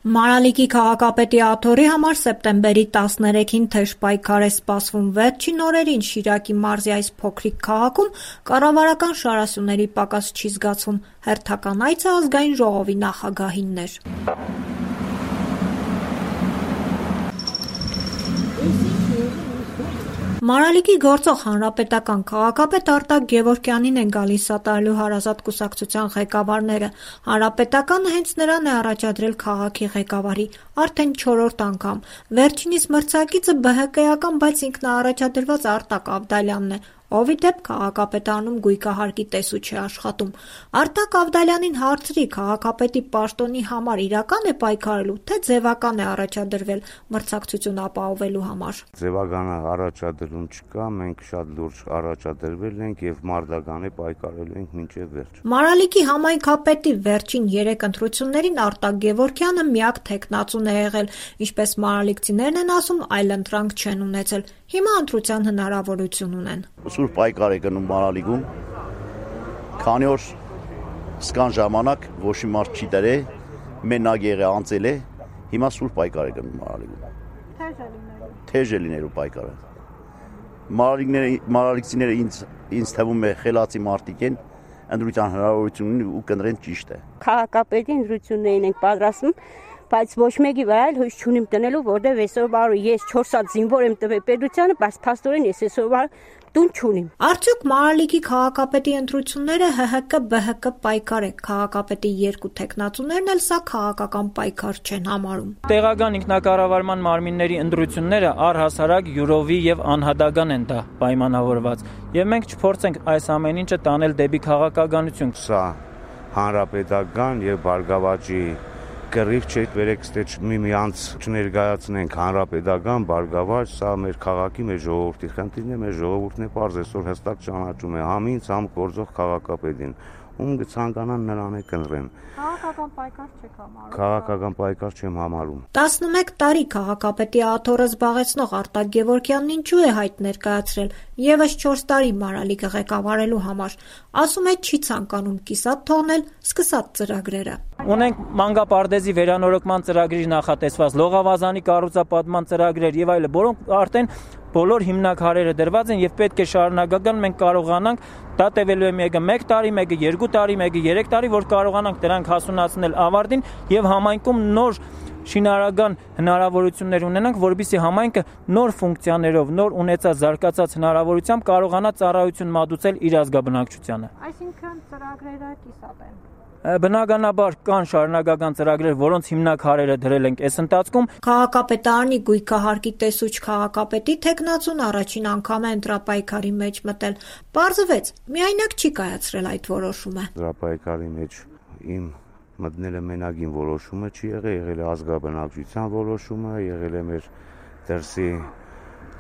Մարալիկի քաղաքապետի աթոռի համար սեպտեմբերի 13-ին թեժ պայքար է սպասվում։ Վերջին օրերին Շիրակի մարզի այս փոքրիկ քաղաքում կառավարական շարասյուների պակաս չի զգացվում։ Հերթական այցը ազգային ժողովի նախագահինն էր։ Մարալիկի գործող հանրապետական քաղաքապետ Արտակ Գևորգյանին են գալիս սատարելու հարազատ կուսակցության ղեկավարները։ Հանրապետականը հենց նրան է առաջադրել քաղաքի ղեկավարի արդեն 4-րդ անգամ։ Վերջինիս մրցակիցը ԲՀԿ-ական, բայց ինքնաառաջադրված Արտակ Ավդալյանն է, ով ի դեպ քաղաքապետարանում գույքահարկի տեսու չի աշխատում։ Արտակ Ավդալյանին հարցրի քաղաքապետի պաշտոնի համար իրական է պայքարելու, թե ձևական է առաջադրվել մրցակցություն ապահովելու համար։ Ձևական առաջադրում չկա, մենք շատ լուրջ առաջադրվել ենք եւ մարտական է պայքարելու ենք մինչեւ վերջ։ Մարալիկի համայնքապետի վերջին 3 ընտրություններին Արտակ Գևորգյանը միակ թեկնածուն է եղել, ինչպես մարալիկցիներն են ասում, այլընտրանք չեն ունեցել։ Հիմա ընտրության հնարավորություն ունեն։ Սուր պայքար է գնում Մարալիկում, քանի որ սկան ժամանակ ոչ մի մարդ չի դրե, մենակ եղե անցել է, հիմա սուր պայքար է գնում Մարալիկում։ Թեժ է լինելու պայքարը։ Մարալիկցիները ինձ թվում է խելացի մարդիկ են, ընտրության հնարավորություն ունի ու կընտրեն ճիշտ է։ Քաղաքապետի ընտրություններին ենք պատրաստվում, բայց ոչ մեկի վրա էլ հույս չունիմ տնելու, որտեղ այսօր բարու ես 4 հատ զինվոր եմ տվել պետությանը, բայց փաստորեն ես այսօր տուն չունիմ։ Արդյոք Մարալիկի քաղաքապետի ընտրությունները ՀՀԿ-ԲՀԿ պայքար է։ Քաղաքապետի 2 թեկնածուներն էլ սա քաղաքական պայքար չեն համարում։ Տեղական ինքնակառավարման մարմինների ընտրությունները առհասարակ յուրովի եւ անհատական են դա պայմանավորված։ Եվ մենք չփորձենք այս ամեն ինչը տանել դեպի քաղաքականություն։ Սա հանրապետական եւ Բարգավաճի կռիվ չէ, վերեք ստե միմյանց չներկայացնենք հանրապետական, Բարգավաճ, սա մեր քաղաքի, մեր ժողովրդի խնդիրն է, մեր ժողովուրդն է պարզ այսօր հստակ ճանաչում է համ ինձ, համ գործող քաղաքապետին, ում կցանկանան նրան է կընտրեն։ Քաղաքական պայքար չեք համարում։ Քաղաքական պայքար չեմ համարում։ 11 տարի քաղաքապետի աթոռը զբաղեցնող Արտակ Գևորգյանն ինչու է հայտ ներկայացրել եւս 4 տարի Մարալիկը ղեկավարելու համար։ Ասում է չի ցանկանում կիսատ թողնել սկսած ծրագրերը։ Ունենք մանկապարտեզի վերանորոգման ծրագրի նախատեսված, լողավազանի կառուցապատման ծրագրեր եւ այլն, որոնք արդեն բոլոր հիմնաքարերը դրված են եւ պետք է շարունակական մենք կարողանանք դա տևելու է մեկը 1 տարի, մեկը 2 տարի, մեկը 3 տարի, որ կարողանանք դրանք հասունացնել ավարտին եւ համայնքում նոր շինարարական հնարավորություններ ունենանք, որովհետեւ համայնքը նոր ֆունկցիաներով, նոր ունեցած զարգացած հնարավորությամբ կարողանա ծառայություն մատուցել իր ազգաբնակչությանը։ Այսինքն ծրագրերը կիսատ են։ Բնականաբար կան շարունակական ծրագրեր, որոնց հիմնաքարերը դրել ենք այս ընթացքում։ Քաղաքապետարանի գույքահարկի տեսուչ քաղաքապետի թեկնածուն առաջին անգամ է ընտրապայքարի մեջ մտել։ Պարզվեց, միայնակ չի կայացրել այդ որոշումը։ Ընտրապայքարի մեջ իմ մտնելը մենակին որոշումը չի եղել է ազգաբնակչության որոշումը, եղել է մեր դրսի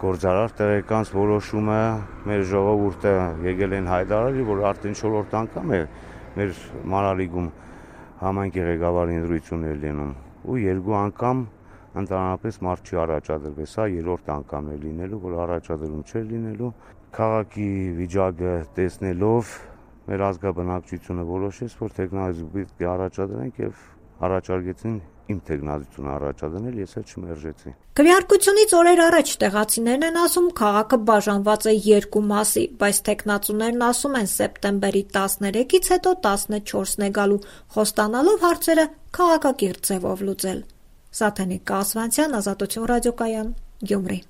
գործարար տեղեկանց որոշումը, մեր ժողովուրդը եկել են հայտարարել, որ արդեն 4-րդ անգամ է մեր Մարալիկում համայնքի ղեկավարի ընտրություններ լինում ու 2 անգամ ընդհանրապես մարդ չի առաջադրվել, սա 3-րդ անգամն է լինելու, որ առաջադրում չէր լինելու։ Քաղաքի վիճակը տեսնելով մեր ազգաբնակչությունը որոշեց, որ տեխնոլոգիա պետք է առաջադրենք եւ առաջարկեցին իմ տեխնոլոգիությունը առաջադրել, ես էլ չմերժեցի։ Քվեարկությունից օրեր առաջ տեղացիներն են ասում, քաղաքը բաժանված է 2 մասի, բայց տեխնացուներն ասում են սեպտեմբերի 13-ից հետո 14-ն է գալու, խոստանալով հարցերը քաղաքակիրթ ձևով լուծել։ Սաթենիկ Կասվանցյան, Ազատություն ռադիոկայան, Գյումրի։